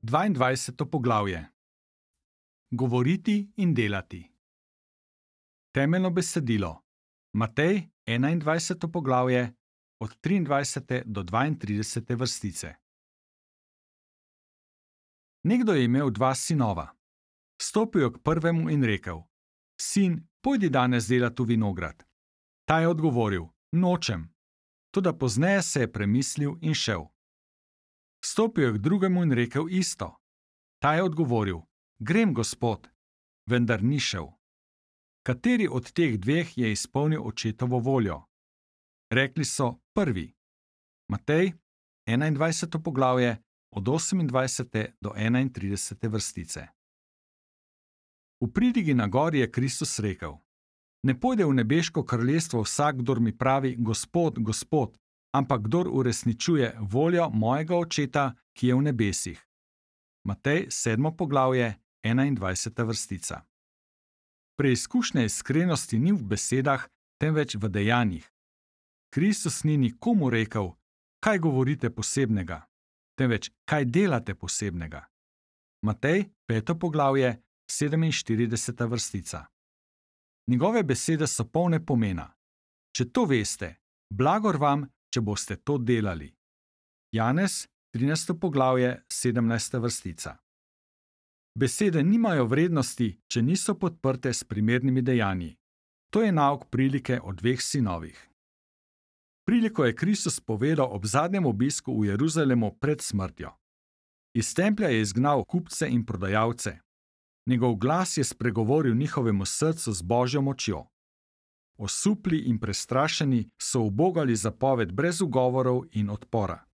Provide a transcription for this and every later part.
22. poglavje. Govoriti in delati. Temeljno besedilo. Matej, 21. poglavje, od 23. do 32. vrstice. Nekdo je imel 2 sinova. Stopil je k prvemu in rekel: Sin, pojdi danes delat v vinograd. Ta je odgovoril: Nočem. Toda pozneje se je premislil in šel. Stopil je k drugemu in rekel isto. Ta je odgovoril: Grem, gospod, vendar ni šel. Kateri od teh dveh je izpolnil očetovo voljo? Rekli so: prvi. Matej, 21. poglavje, od 28. do 31. vrstice. V pridigi na gori je Kristus rekel: Ne pojde v nebeško kraljestvo vsak, kdor mi pravi: Gospod, Gospod, ampak kdor uresničuje voljo mojega Očeta, ki je v nebesih. Matej, 7. poglavje, 21. vrstica. Preizkušnja iskrenosti ni v besedah, temveč v dejanjih. Kristus ni nikomu rekel: Kaj govorite posebnega, temveč kaj delate posebnega. Matej, 5. poglavje, 47. vrstica. Njegove besede so polne pomena. Če to veste, blagor vam, če boste to delali. Janez, 13. poglavje, 17. vrstica. Besede nimajo vrednosti, če niso podprte s primernimi dejanji. To je nauk prilike o 2 sinovih. Priliko je Kristus povedal ob zadnjem obisku v Jeruzalemu pred smrtjo. Iz templja je izgnal kupce in prodajalce. Njegov glas je spregovoril njihovemu srcu z Božjo močjo. Osupli in prestrašeni so ubogali zapoved brez ugovorov in odpora.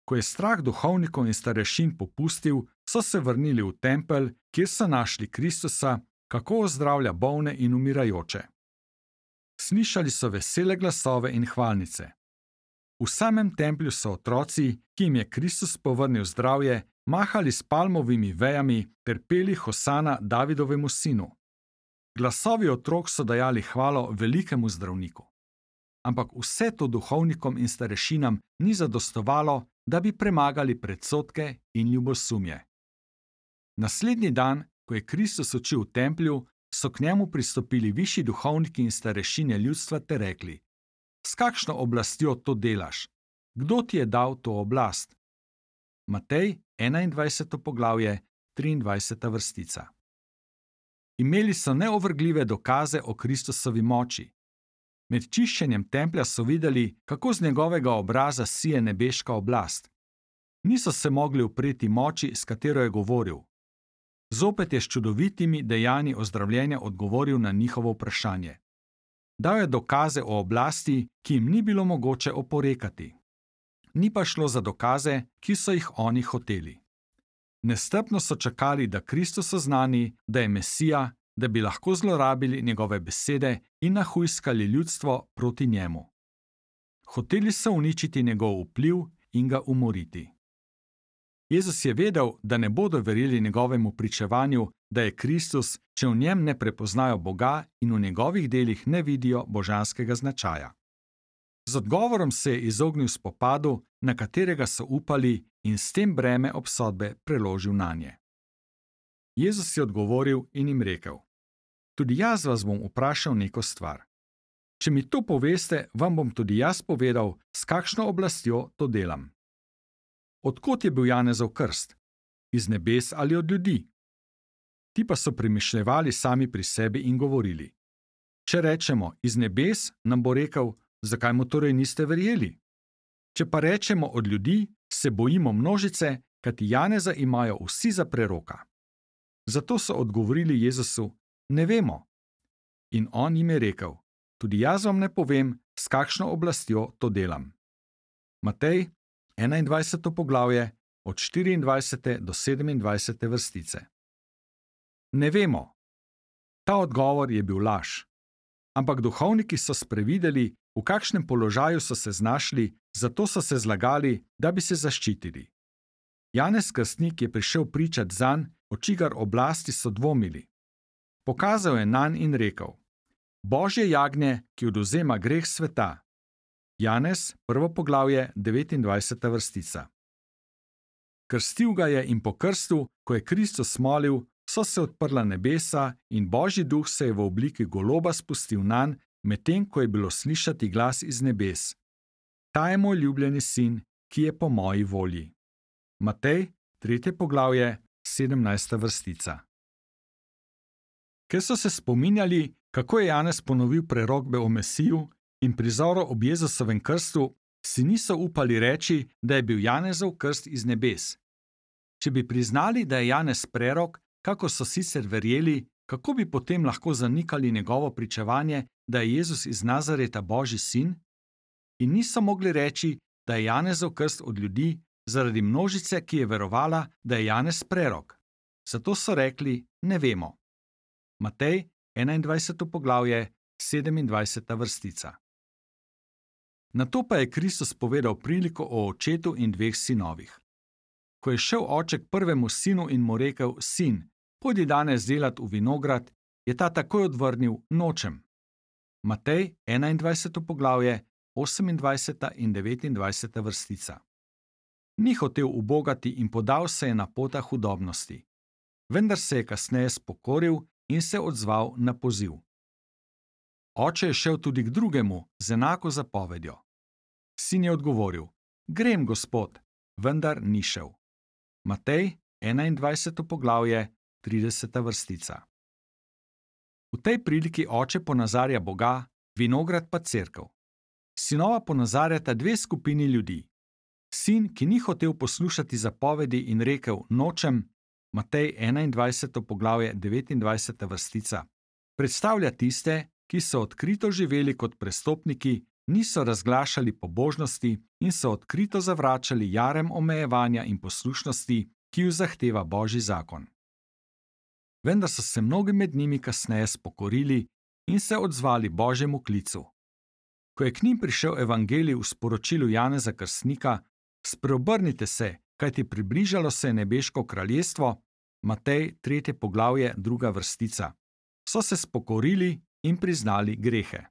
Ko je strah duhovnikov in starešin popustil, so se vrnili v tempelj, kjer so našli Kristusa, kako ozdravlja bolne in umirajoče. Slišali so vesele glasove in hvalnice. V samem templju so otroci, ki jim je Kristus povrnil zdravje, mahali s palmovimi vejami ter peli hosana Davidovemu sinu. Glasovi otrok so dajali hvalo velikemu zdravniku. Ampak vse to duhovnikom in starešinam ni zadostovalo, da bi premagali predsodke in ljubosumje. Naslednji dan, ko je Kristus učil v templju, so k njemu pristopili višji duhovniki in starešine ljudstva ter rekli: S kakšno oblastjo to delaš? Kdo ti je dal to oblast? Matej, 21. poglavje, 23. vrstica. Imeli so neovrgljive dokaze o Kristusovi moči. Med čiščenjem templja so videli, kako z njegovega obraza sije nebeška oblast. Niso se mogli upreti moči, s katero je govoril. Zopet je s čudovitimi dejanji ozdravljenja odgovoril na njihovo vprašanje. Dal je dokaze o oblasti, ki jim ni bilo mogoče oporekati. Ni pa šlo za dokaze, ki so jih oni hoteli. Nestrpno so čakali, da Kristus oznani, da je Mesija, da bi lahko zlorabili njegove besede in nahujskali ljudstvo proti njemu. Hoteli so uničiti njegov vpliv in ga umoriti. Jezus je vedel, da ne bodo verjeli njegovemu pričevanju, da je Kristus, če v njem ne prepoznajo Boga in v njegovih delih ne vidijo božanskega značaja. Z odgovorom se je izognil spopadu, na katerega so upali, in s tem breme obsodbe preložil nanje. Jezus je odgovoril in jim rekel: Tudi jaz vas bom vprašal neko stvar. Če mi to poveste, vam bom tudi jaz povedal, s kakšno oblastjo to delam. Od kod je bil Janezov krst? Iz nebes ali od ljudi? Ti pa so premišljevali sami pri sebi in govorili: Če rečemo iz nebes, nam bo rekel: Zakaj mu torej niste verjeli? Če pa rečemo od ljudi, se bojimo množice, kajti Janeza imajo vsi za preroka. Zato so odgovorili Jezusu: Ne vemo. In on jim je rekel: Tudi jaz vam ne povem, s kakšno oblastjo to delam. Matej, 21. poglavje, od 24. do 27. vrstice. Ne vemo. Ta odgovor je bil laž. Ampak duhovniki so sprevideli, v kakšnem položaju so se znašli, zato so se zlagali, da bi se zaščitili. Janez Krstnik je prišel pričat zanj, o čigar oblasti so dvomili. Pokazal je nanj in rekel: Božje jagnje, ki odvzema greh sveta. Janez, 1. poglavje, 29. vrstica. Krstil ga je in po krstu, ko je Kristus molil, so se odprla nebesa in Božji duh se je v obliki goloba spustil nanj, medtem ko je bilo slišati glas iz nebes. Ta je moj ljubljeni sin, ki je po moji volji. Matej, 3. poglavje, 17. vrstica. Ker so se spominjali, kako je Janez ponovil prerokbe o Mesiju in prizoru ob Jezusovem krstu, si niso upali reči, da je bil Janezov krst iz nebes. Če bi priznali, da je Janez prerok, kako so sicer verjeli, kako bi potem lahko zanikali njegovo pričevanje, da je Jezus iz Nazareta Božji sin? In niso mogli reči, da je Janezov krst od ljudi, zaradi množice, ki je verovala, da je Janez prerok. Zato so rekli, ne vemo. Matej, 21. poglavje, 27. vrstica. Nato pa je Kristus povedal priliko o očetu in dveh sinovih. Ko je šel oče k prvemu sinu in mu rekel, sin, pojdi danes delat v vinograd, je ta takoj odvrnil, nočem. Matej, 21. poglavje, 28. in 29. vrstica. Ni hotel ubogati in podal se je na pota hudobnosti. Vendar se je kasneje spokoril in se odzval na poziv. Oče je šel tudi k drugemu z enako zapovedjo. Sin je odgovoril, grem, gospod, vendar ni šel. Matej, 21. poglavje, 30. vrstica. V tej priliki oče ponazarja Boga, vinograd pa cerkev. Sinova ponazarjata dve skupini ljudi. Sin, ki ni hotel poslušati zapovedi in rekel, nočem, Matej 21. poglavje 29. vrstica, predstavlja tiste, ki so odkrito živeli kot prestopniki, niso razglašali pobožnosti in so odkrito zavračali jarem omejevanja in poslušnosti, ki ju zahteva Božji zakon. Vendar so se mnogi med njimi kasneje spokorili in se odzvali Božjemu klicu. Ko je k njim prišel evangelij v sporočilu Janeza Krstnika, spreobrnite se, kajti približalo se je nebeško kraljestvo, Matej 3. poglavje 2. vrstica, so se spokorili in priznali grehe.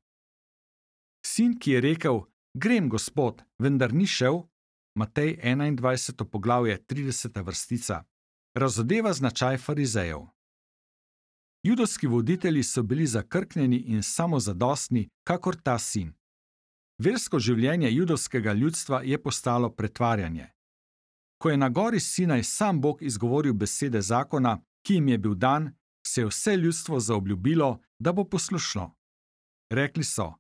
Sin, ki je rekel, grem, gospod, vendar ni šel, Matej 21. poglavje 30. vrstica, razodeva značaj farizejev. Judovski voditelji so bili zakrknjeni in samozadostni, kakor ta sin. Versko življenje judovskega ljudstva je postalo pretvarjanje. Ko je na gori Sinaj sam Bog izgovoril besede zakona, ki jim je bil dan, se je vse ljudstvo zaobljubilo, da bo poslušno. Rekli so,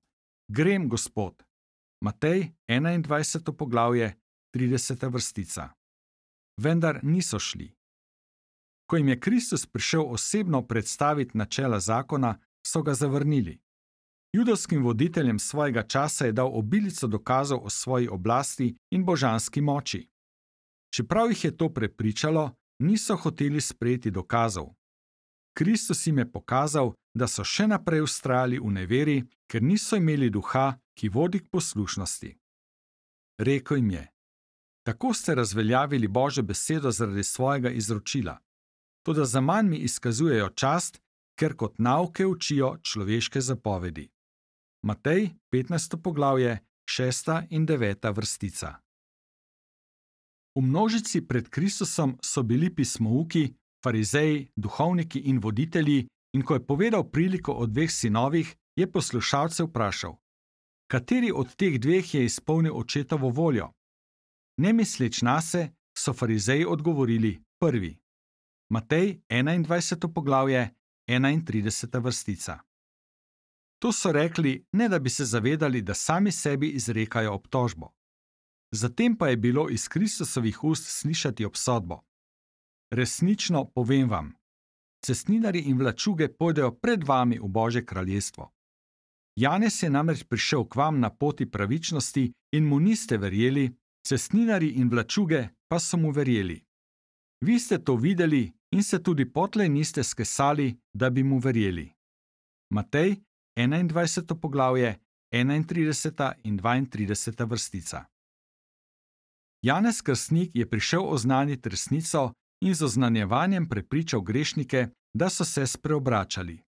grem, gospod. Matej 21. poglavje, 30. vrstica. Vendar niso šli. Ko jim je Kristus prišel osebno predstaviti načela zakona, so ga zavrnili. Judovskim voditeljem svojega časa je dal obilico dokazov o svoji oblasti in božanski moči. Čeprav jih je to prepričalo, niso hoteli sprejeti dokazov. Kristus jim je pokazal, da so še naprej vztrajali v neveri, ker niso imeli duha, ki vodi k poslušnosti. Rekel jim je, tako ste razveljavili Božjo besedo zaradi svojega izročila. Toda zaman mi izkazujejo čast, ker kot nauke učijo človeške zapovedi. Matej, 15. poglavje, 6. in 9. vrstica. V množici pred Kristusom so bili pismouki, farizeji, duhovniki in voditelji, in ko je povedal priliko o dveh sinovih, je poslušalce vprašal, kateri od teh dveh je izpolnil očetovo voljo? Nemisleč nase, so farizeji odgovorili, prvi. Matej, 21. poglavje, 31. vrstica. To so rekli, ne da bi se zavedali, da sami sebi izrekajo obtožbo. Zatem pa je bilo iz Kristusovih ust slišati obsodbo. Resnično povem vam, cestninarji in vlačuge pojdejo pred vami v Božje kraljestvo. Janez je namreč prišel k vam na poti pravičnosti in mu niste verjeli, cestninarji in vlačuge pa so mu verjeli. Vi ste to videli in se tudi potlej niste skesali, da bi mu verjeli. Matej, 21. poglavje, 31. in 32. vrstica. Janez Krstnik je prišel oznaniti resnico in z oznanjevanjem prepričal grešnike, da so se spreobračali.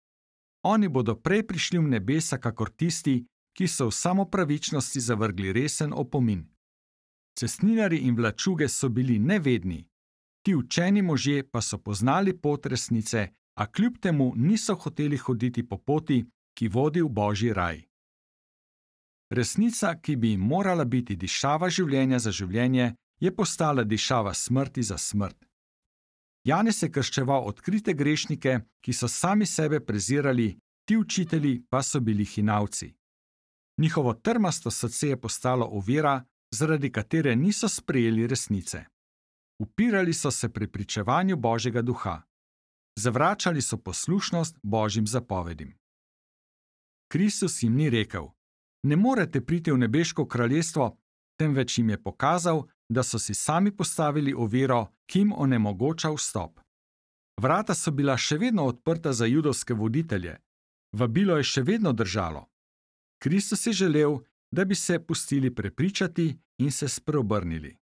Oni bodo prej prišli v nebesa, kakor tisti, ki so v samopravičnosti zavrgli resen opomin. Cestninarji in vlačuge so bili nevedni, ti učeni možje pa so poznali pot resnice, a kljub temu niso hoteli hoditi po poti, ki vodi v Božji raj. Resnica, ki bi jim morala biti dišava življenja za življenje, je postala dišava smrti za smrt. Janez je krščeval odkrite grešnike, ki so sami sebe prezirali, ti učitelji pa so bili hinavci. Njihovo trmasto srce je postalo ovira, zaradi katere niso sprejeli resnice. Upirali so se prepričevanju Božjega duha. Zavračali so poslušnost Božjim zapovedim. Kristus jim ni rekel: ne morete priti v nebeško kraljestvo, temveč jim je pokazal, da so si sami postavili oviro, ki jim onemogoča vstop. Vrata so bila še vedno odprta za judovske voditelje, vabilo je še vedno držalo. Kristus je želel, da bi se pustili prepričati in se spreobrnili.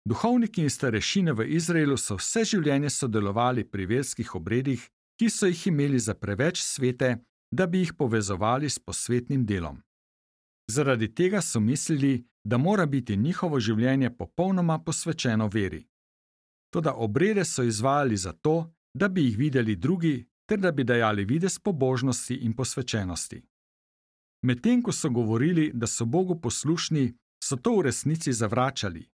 Duhovniki in starešine v Izraelu so vse življenje sodelovali pri verskih obredih, ki so jih imeli za preveč svete, da bi jih povezovali s posvetnim delom. Zaradi tega so mislili, da mora biti njihovo življenje popolnoma posvečeno veri. Toda obrede so izvajali zato, da bi jih videli drugi, ter da bi dajali videz pobožnosti in posvečenosti. Medtem ko so govorili, da so Bogu poslušni, so to v resnici zavračali.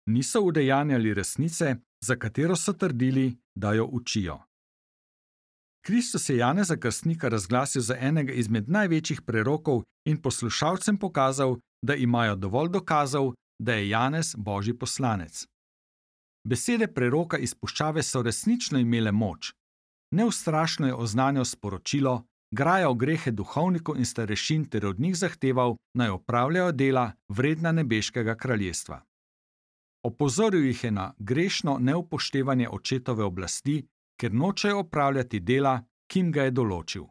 Niso udejanjali resnice, za katero so trdili, da jo učijo. Kristus je Janeza Krstnika razglasil za enega izmed največjih prerokov in poslušalcem pokazal, da imajo dovolj dokazov, da je Janez Božji poslanec. Besede preroka iz puščave so resnično imele moč. Neustrašno je oznanjal sporočilo, grajal grehe duhovnikov in starešin ter od njih zahteval, naj opravljajo dela vredna nebeškega kraljestva. Opozoril jih je na grešno neupoštevanje očetove oblasti, ker nočejo opravljati dela, ki jim ga je določil.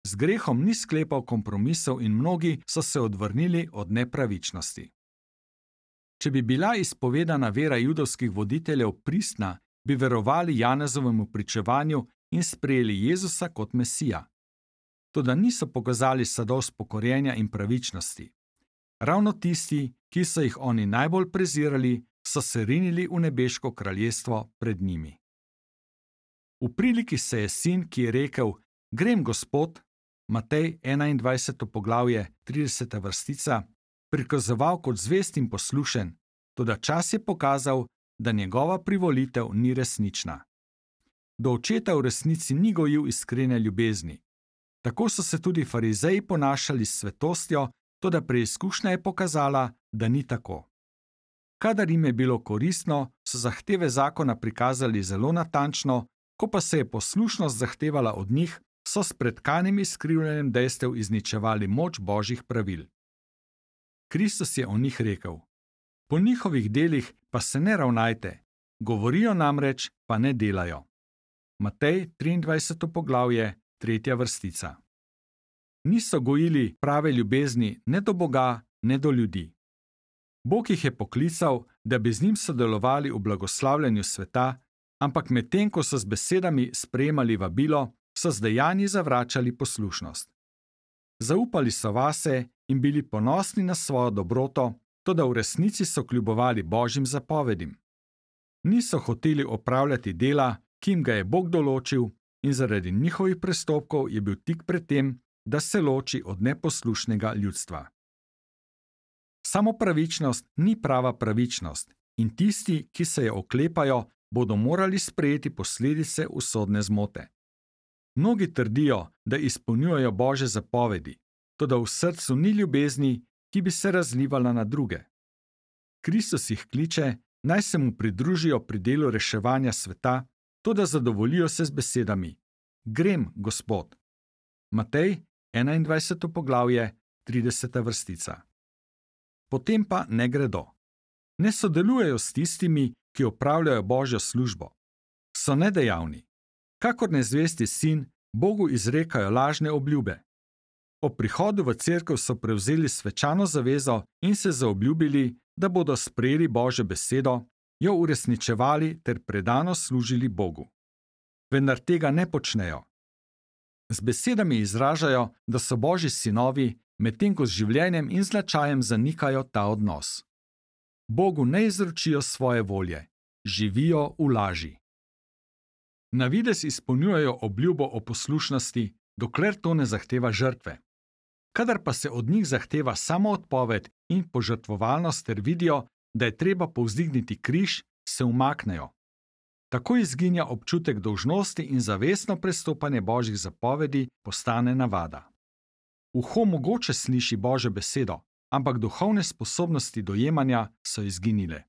Z grehom ni sklepal kompromisov in mnogi so se odvrnili od nepravičnosti. Če bi bila izpovedana vera judovskih voditeljev pristna, bi verovali Janezovemu pričevanju in sprejeli Jezusa kot Mesija. Toda niso pokazali sadov spokorjenja in pravičnosti. Ravno tisti, ki so jih oni najbolj prezirali, so se rinili v nebeško kraljestvo pred njimi. V priliki se je sin, ki je rekel: grem, Gospod, Matej 21. poglavje, 30. vrstica, prikazoval kot zvest in poslušen, toda čas je pokazal, da njegova privolitev ni resnična. Do očeta v resnici ni gojil iskrene ljubezni. Tako so se tudi farizeji ponašali s svetostjo, toda preizkušnja je pokazala, da ni tako. Kadar jim je bilo koristno, so zahteve zakona prikazali zelo natančno, ko pa se je poslušnost zahtevala od njih, so s pretkanim izkrivljanjem dejstev izničevali moč Božjih pravil. Kristus je o njih rekel: po njihovih delih pa se ne ravnajte, govorijo namreč, pa ne delajo. Matej 23. poglavje, 3. vrstica. Niso gojili prave ljubezni ne do Boga, ne do ljudi. Bog jih je poklical, da bi z njim sodelovali v blagoslavljanju sveta, ampak medtem ko so z besedami sprejemali vabilo, so z dejanji zavračali poslušnost. Zaupali so vase in bili ponosni na svojo dobroto, toda v resnici so kljubovali Božjim zapovedim. Niso hoteli opravljati dela, ki jim ga je Bog določil, in zaradi njihovih prestopkov je bil tik pred tem, da se loči od neposlušnega ljudstva. Samo pravičnost ni prava pravičnost in tisti, ki se je oklepajo, bodo morali sprejeti posledice usodne zmote. Mnogi trdijo, da izpolnjujejo Božje zapovedi, toda v srcu ni ljubezni, ki bi se razlivala na druge. Kristus jih kliče, naj se mu pridružijo pri delu reševanja sveta, toda zadovoljijo se z besedami: grem, Gospod. Matej 21. poglavje, 30. vrstica. Potem pa ne gredo. Ne sodelujejo s tistimi, ki opravljajo Božjo službo. So nedejavni. Kakor nezvesti sin, Bogu izrekajo lažne obljube. Ob prihodu v cerkev so prevzeli svečano zavezo in se zaobljubili, da bodo sprejeli Božjo besedo, jo uresničevali ter predano služili Bogu. Vendar tega ne počnejo. Z besedami izražajo, da so Božji sinovi, medtem ko z življenjem in značajem zanikajo ta odnos. Bogu ne izročijo svoje volje, živijo v laži. Na videz izpolnjujejo obljubo o poslušnosti, dokler to ne zahteva žrtve. Kadar pa se od njih zahteva samoodpoved in požrtvovalnost ter vidijo, da je treba povzdigniti križ, se umaknejo. Tako izginja občutek dolžnosti in zavestno prestopanje Božjih zapovedi postane navada. Uho mogoče sliši Božjo besedo, ampak duhovne sposobnosti dojemanja so izginile.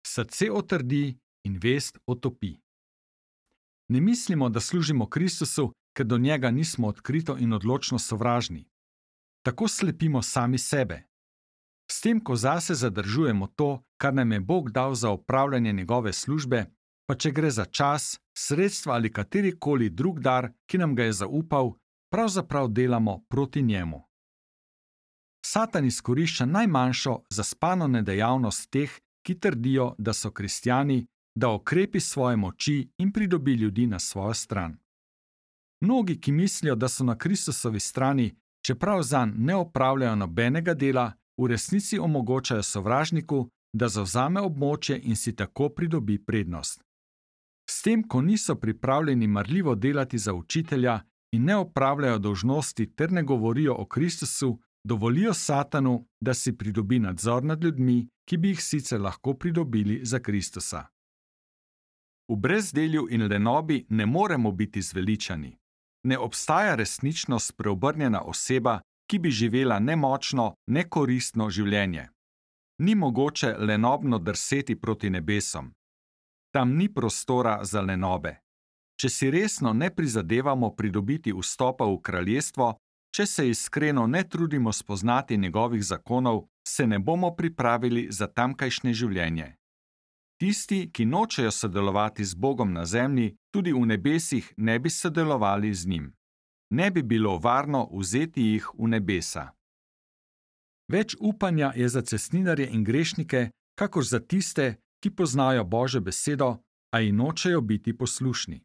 Srce otrdi in vest otopi. Ne mislimo, da služimo Kristusu, ker do njega nismo odkrito in odločno sovražni. Tako slepimo sami sebe. S tem, ko zase zadržujemo to, kar nam je Bog dal za opravljanje njegove službe, pa če gre za čas, sredstva ali katerikoli drug dar, ki nam ga je zaupal, pravzaprav delamo proti njemu. Satan izkorišča najmanjšo zaspano nedejavnost teh, ki trdijo, da so kristjani, da okrepi svoje moči in pridobi ljudi na svojo stran. Mnogi, ki mislijo, da so na Kristusovi strani, čeprav zanj ne opravljajo nobenega dela, v resnici omogočajo sovražniku, da zavzame območje in si tako pridobi prednost. S tem, ko niso pripravljeni marljivo delati za učitelja in ne opravljajo dolžnosti ter ne govorijo o Kristusu, dovolijo Satanu, da si pridobi nadzor nad ljudmi, ki bi jih sicer lahko pridobili za Kristusa. V brezdelju in lenobi ne moremo biti zveličani. Ne obstaja resnično spreobrnjena oseba, ki bi živela nemočno, nekoristno življenje. Ni mogoče lenobno drseti proti nebesom. Tam ni prostora za lenobe. Če si resno ne prizadevamo pridobiti vstopa v kraljestvo, če se iskreno ne trudimo spoznati njegovih zakonov, se ne bomo pripravili za tamkajšnje življenje. Tisti, ki nočejo sodelovati z Bogom na zemlji, tudi v nebesih ne bi sodelovali z njim. Ne bi bilo varno vzeti jih v nebesa. Več upanja je za cestninarje in grešnike, kakor za tiste, ki poznajo Božjo besedo, a ji nočejo biti poslušni.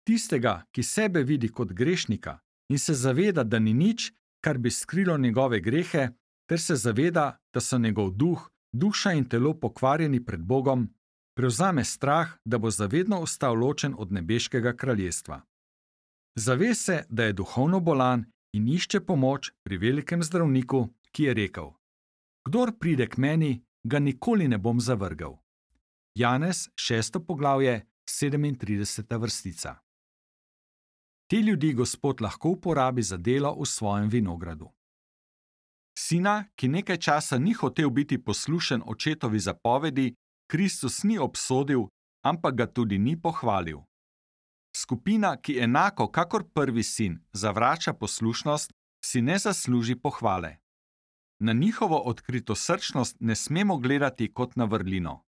Tistega, ki sebe vidi kot grešnika in se zaveda, da ni nič, kar bi skrilo njegove grehe, ter se zaveda, da so njegov duh, duša in telo pokvarjeni pred Bogom, prevzame strah, da bo zavedno ostal ločen od nebeškega kraljestva. Zave se, da je duhovno bolan in išče pomoč pri velikem zdravniku, ki je rekel: Kdor pride k meni, ga nikoli ne bom zavrgel. Janez, 6. poglavje, 37. vrstica. Te ljudi Gospod lahko uporabi za delo v svojem vinogradu. Sina, ki nekaj časa ni hotel biti poslušen očetovi zapovedi, Kristus ni obsodil, ampak ga tudi ni pohvalil. Skupina, ki enako kakor prvi sin zavrača poslušnost, si ne zasluži pohvale. Na njihovo odkritosrčnost ne smemo gledati kot na vrlino.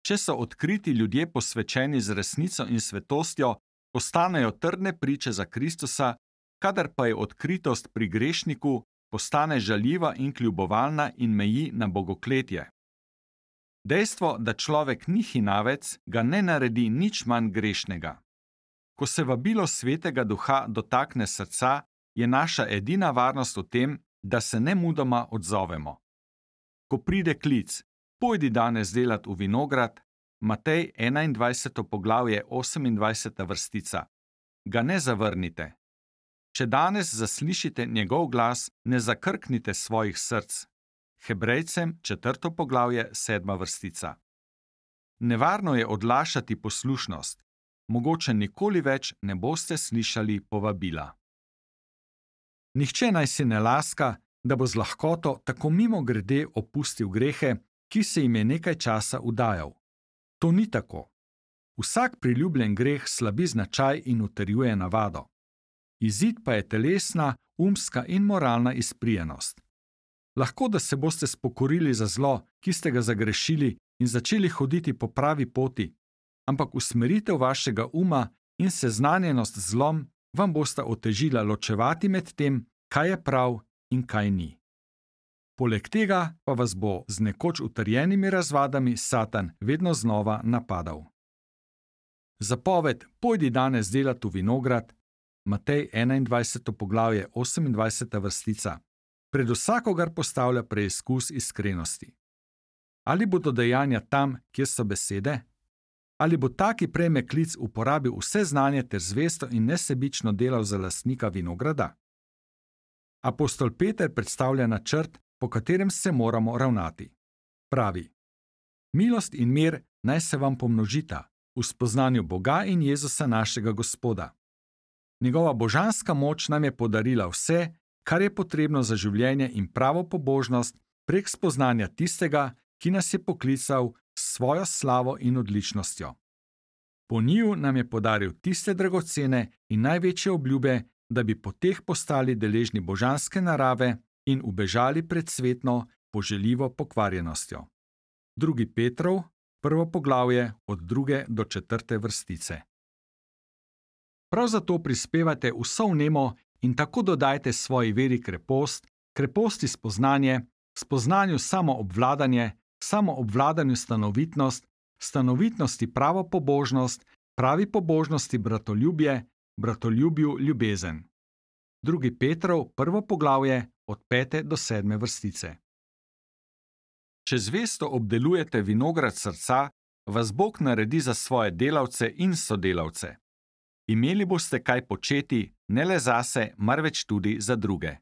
Če so odkriti ljudje posvečeni z resnico in svetostjo, postanejo trdne priče za Kristusa, kadar pa je odkritost pri grešniku, postane žaljiva in kljubovalna in meji na bogokletje. Dejstvo, da človek ni hinavec, ga ne naredi nič manj grešnega. Ko se vabilo Svetega Duha dotakne srca, je naša edina varnost v tem, da se nemudoma odzovemo. Ko pride klic, pojdi danes delat v vinograd, Matej 21. poglavje 28. vrstica, ga ne zavrnite. Če danes zaslišite njegov glas, ne zakrknite svojih src. Hebrejcem 4. poglavje 7. vrstica. Nevarno je odlašati poslušnost. Mogoče nikoli več ne boste slišali povabila. Nihče naj si ne laska, da bo z lahkoto tako mimogrede opustil grehe, ki se jim je nekaj časa udajal. To ni tako. Vsak priljubljen greh slabi značaj in utrjuje navado. Izid pa je telesna, umska in moralna izprijenost. Lahko, da se boste spokorili za zlo, ki ste ga zagrešili, in začeli hoditi po pravi poti, ampak usmeritev vašega uma in seznanjenost z zlom vam bosta otežila ločevati med tem, kaj je prav in kaj ni. Poleg tega pa vas bo z nekoč utrjenimi razvadami Satan vedno znova napadal. Zapoved, pojdi danes delat v vinograd, Matej 21. poglavje 28. vrstica, pred vsakogar postavlja preizkus iskrenosti. Ali bodo dejanja tam, kjer so besede? Ali bo ta, ki prejme klic, uporabil vse znanje ter zvesto in nesebično delal za lastnika vinograda? Apostol Peter predstavlja načrt, po katerem se moramo ravnati. Pravi: Milost in mir naj se vam pomnožita v spoznanju Boga in Jezusa našega Gospoda. Njegova božanska moč nam je podarila vse, kar je potrebno za življenje in pravo pobožnost prek spoznanja tistega, ki nas je poklical s svojo slavo in odličnostjo. Po njiju nam je podaril tiste dragocene in največje obljube, da bi po teh postali deležni božanske narave in ubežali pred svetno, poželjivo pokvarjenostjo. 2. Petrov, 1. poglavje, od 2. do 4. vrstice. Prav zato prispevajte vso vnemo in tako dodajte svoji veri krepost, kreposti spoznanje, spoznanju samoobvladanje, samoobvladanju stanovitnost, stanovitnosti pravo pobožnost, pravi pobožnosti bratoljubje, bratoljubju ljubezen. 2. Petrov, 1. poglavje, od 5. do 7. vrstice. Če zvesto obdelujete vinograd srca, vas Bog naredi za svoje delavce in sodelavce. Imeli boste kaj početi, ne le zase, marveč tudi za druge.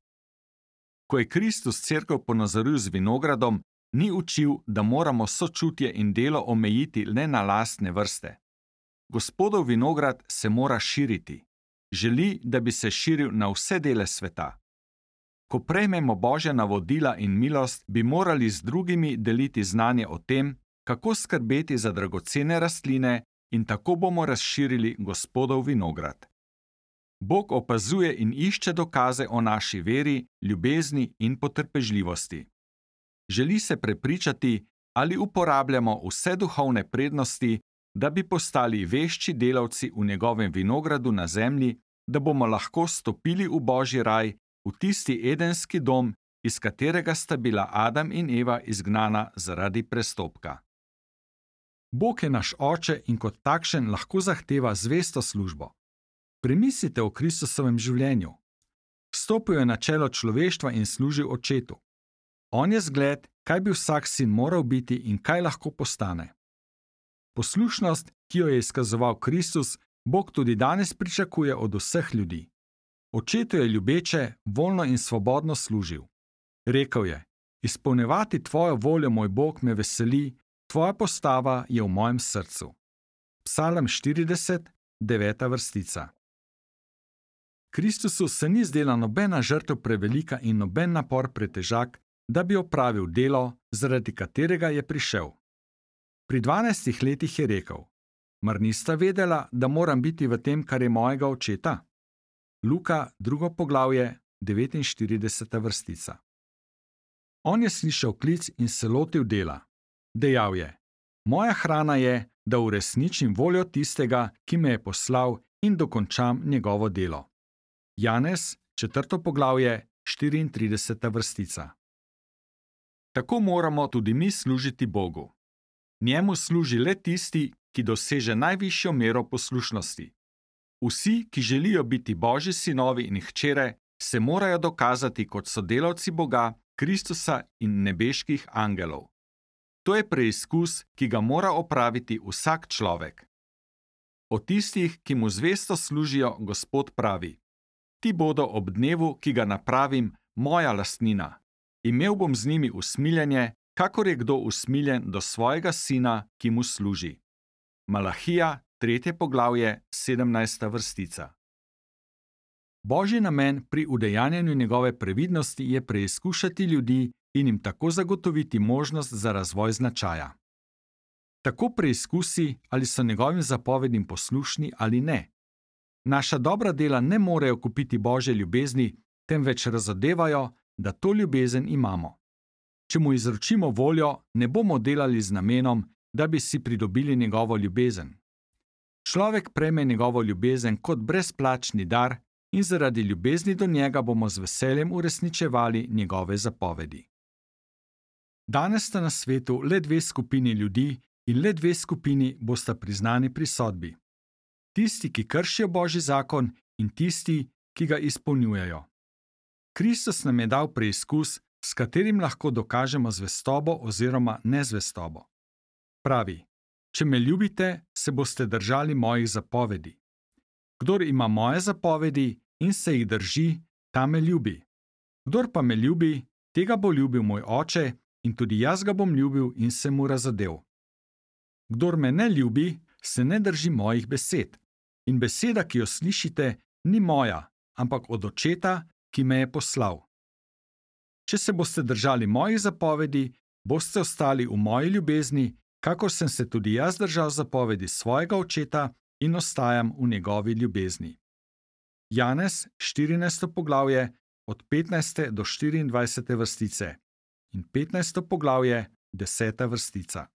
Ko je Kristus cerkev ponazoril z vinogradom, ni učil, da moramo sočutje in delo omejiti le na lastne vrste. Gospodov vinograd se mora širiti. Želi, da bi se širil na vse dele sveta. Ko prejmemo Božja navodila in milost, bi morali z drugimi deliti znanje o tem, kako skrbeti za dragocene rastline, in tako bomo razširili Gospodov vinograd. Bog opazuje in išče dokaze o naši veri, ljubezni in potrpežljivosti. Želi se prepričati, ali uporabljamo vse duhovne prednosti, da bi postali vešči delavci v njegovem vinogradu na zemlji, da bomo lahko stopili v Božji raj, v tisti edenski dom, iz katerega sta bila Adam in Eva izgnana zaradi prestopka. Bog je naš oče in kot takšen lahko zahteva zvesto službo. Premislite o Kristusovem življenju. Stopil je na čelo človeštva in služil očetu. On je zgled, kaj bi vsak sin moral biti in kaj lahko postane. Poslušnost, ki jo je izkazoval Kristus, Bog tudi danes pričakuje od vseh ljudi. Očetu je ljubeče, voljno in svobodno služil. Rekel je: Izpolnjevati tvojo voljo, moj Bog, me veseli, tvoja postava je v mojem srcu. Psalm 40, 9. vrstica. Kristusu se ni zdela nobena žrtev prevelika in noben napor pretežak, da bi opravil delo, zaradi katerega je prišel. Pri 12 letih je rekel: Mar nista vedela, da moram biti v tem, kar je mojega očeta? Luka, 2. poglavje, 49. vrstica. On je slišal klic in se lotil dela. Dejal je: Moja hrana je, da uresničim voljo tistega, ki me je poslal, in dokončam njegovo delo. Janez, 4. poglavje, 34. vrstica. Tako moramo tudi mi služiti Bogu. Njemu služi le tisti, ki doseže najvišjo mero poslušnosti. Vsi, ki želijo biti Božji sinovi in hčere, se morajo dokazati kot sodelavci Boga, Kristusa in nebeških angelov. To je preizkus, ki ga mora opraviti vsak človek. O tistih, ki mu zvesto služijo, Gospod pravi: Ti bodo ob dnevu, ki ga napravim, moja lastnina. Imel bom z njimi usmiljenje, kakor je kdo usmiljen do svojega sina, ki mu služi. Malahija, 3. poglavje, 17. vrstica. Božji namen pri udejanjanju njegove previdnosti je preizkušati ljudi in jim tako zagotoviti možnost za razvoj značaja. Tako preizkusi, ali so njegovim zapovedim poslušni ali ne. Naša dobra dela ne morejo kupiti Božje ljubezni, temveč razodevajo, da to ljubezen imamo. Če mu izročimo voljo, ne bomo delali z namenom, da bi si pridobili njegovo ljubezen. Človek prejme njegovo ljubezen kot brezplačni dar in zaradi ljubezni do njega bomo z veseljem uresničevali njegove zapovedi. Danes sta na svetu le dve skupini ljudi in le dve skupini bosta priznani pri sodbi. Tisti, ki kršijo Božji zakon, in tisti, ki ga izpolnjujejo. Kristus nam je dal preizkus, s katerim lahko dokažemo zvestobo oziroma nezvestobo. Pravi: Če me ljubite, se boste držali mojih zapovedi. Kdor ima moje zapovedi in se jih drži, ta me ljubi. Kdor pa me ljubi, tega bo ljubil moj Oče, in tudi jaz ga bom ljubil in se mu razodel. Kdor me ne ljubi, se ne drži mojih besed. In beseda, ki jo slišite, ni moja, ampak od Očeta, ki me je poslal. Če se boste držali mojih zapovedi, boste ostali v moji ljubezni, kakor sem se tudi jaz držal zapovedi svojega Očeta in ostajam v njegovi ljubezni. Janez, 14. poglavje, od 15. do 24. vrstice in 15. poglavje, 10. vrstica.